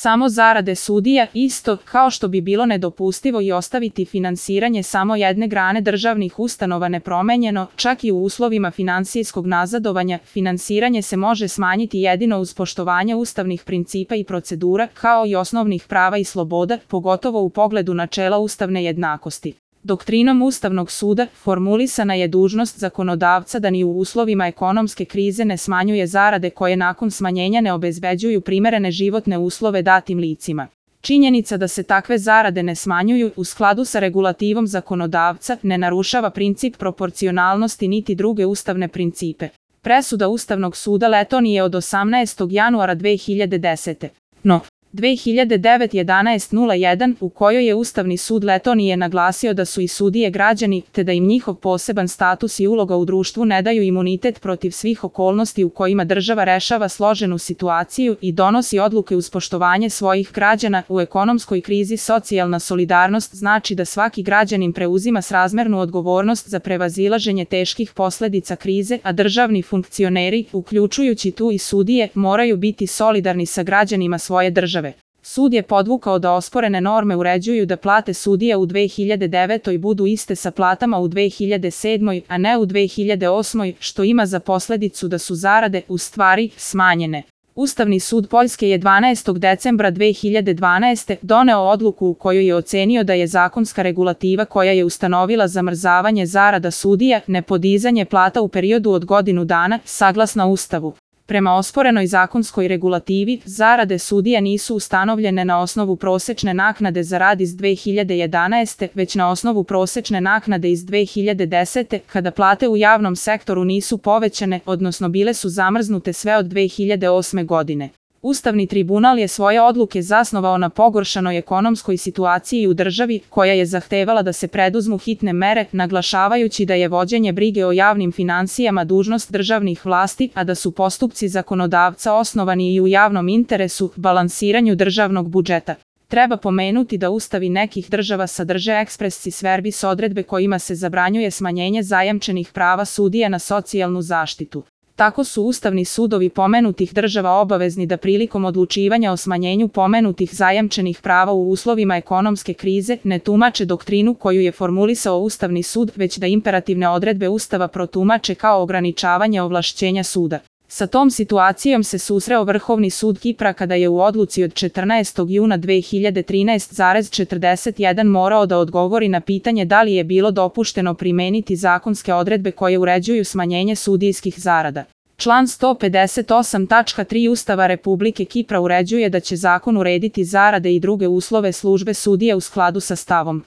samo zarade sudija, isto kao što bi bilo nedopustivo i ostaviti finansiranje samo jedne grane državnih ustanova nepromenjeno, čak i u uslovima finansijskog nazadovanja, finansiranje se može smanjiti jedino uz poštovanje ustavnih principa i procedura, kao i osnovnih prava i sloboda, pogotovo u pogledu načela ustavne jednakosti. Doktrinom Ustavnog suda formulisana je dužnost zakonodavca da ni u uslovima ekonomske krize ne smanjuje zarade koje nakon smanjenja ne obezbeđuju primerene životne uslove datim licima. Činjenica da se takve zarade ne smanjuju u skladu sa regulativom zakonodavca ne narušava princip proporcionalnosti niti druge ustavne principe. Presuda Ustavnog suda Letonije od 18. januara 2010. No. 2009-11-01 u kojoj je Ustavni sud Letonije naglasio da su i sudije građani, te da im njihov poseban status i uloga u društvu ne daju imunitet protiv svih okolnosti u kojima država rešava složenu situaciju i donosi odluke uz poštovanje svojih građana. U ekonomskoj krizi socijalna solidarnost znači da svaki građanin preuzima srazmernu odgovornost za prevazilaženje teških posledica krize, a državni funkcioneri, uključujući tu i sudije, moraju biti solidarni sa građanima svoje države. Sud je podvukao da osporene norme uređuju da plate sudija u 2009. budu iste sa platama u 2007. a ne u 2008. što ima za posledicu da su zarade, u stvari, smanjene. Ustavni sud Poljske je 12. decembra 2012. doneo odluku u kojoj je ocenio da je zakonska regulativa koja je ustanovila zamrzavanje zarada sudija, nepodizanje plata u periodu od godinu dana, saglasna Ustavu. Prema osporenoj zakonskoj regulativi, zarade sudija nisu ustanovljene na osnovu prosečne naknade za rad iz 2011. već na osnovu prosečne naknade iz 2010. kada plate u javnom sektoru nisu povećane, odnosno bile su zamrznute sve od 2008. godine. Ustavni tribunal je svoje odluke zasnovao na pogoršanoj ekonomskoj situaciji u državi, koja je zahtevala da se preduzmu hitne mere, naglašavajući da je vođenje brige o javnim finansijama dužnost državnih vlasti, a da su postupci zakonodavca osnovani i u javnom interesu, balansiranju državnog budžeta. Treba pomenuti da ustavi nekih država sadrže expressis verbis odredbe kojima se zabranjuje smanjenje zajamčenih prava sudija na socijalnu zaštitu. Tako su ustavni sudovi pomenutih država obavezni da prilikom odlučivanja o smanjenju pomenutih zajamčenih prava u uslovima ekonomske krize ne tumače doktrinu koju je formulisao Ustavni sud, već da imperativne odredbe Ustava protumače kao ograničavanje ovlašćenja suda. Sa tom situacijom se susreo Vrhovni sud Kipra kada je u odluci od 14. juna 2013,41 morao da odgovori na pitanje da li je bilo dopušteno primeniti zakonske odredbe koje uređuju smanjenje sudijskih zarada. Član 158.3 Ustava Republike Kipra uređuje da će zakon urediti zarade i druge uslove službe sudije u skladu sa stavom